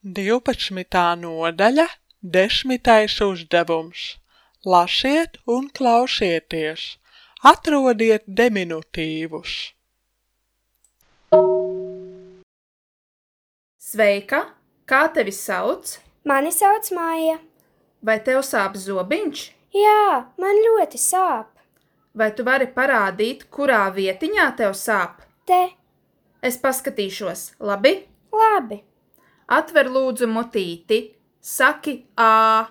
12. nodaļa, 10. uzdevums. Lasiet un klausieties. Atrodiet deminutīvus. Sveika! Kā tevi sauc? Mani sauc Maija. Vai tev sāp zobiņš? Jā, man ļoti sāp. Vai tu vari parādīt, kurā vietiņā tev sāp? Te. Es paskatīšos, labi? Labi. Atver lūdzu mutīti. Saki ā.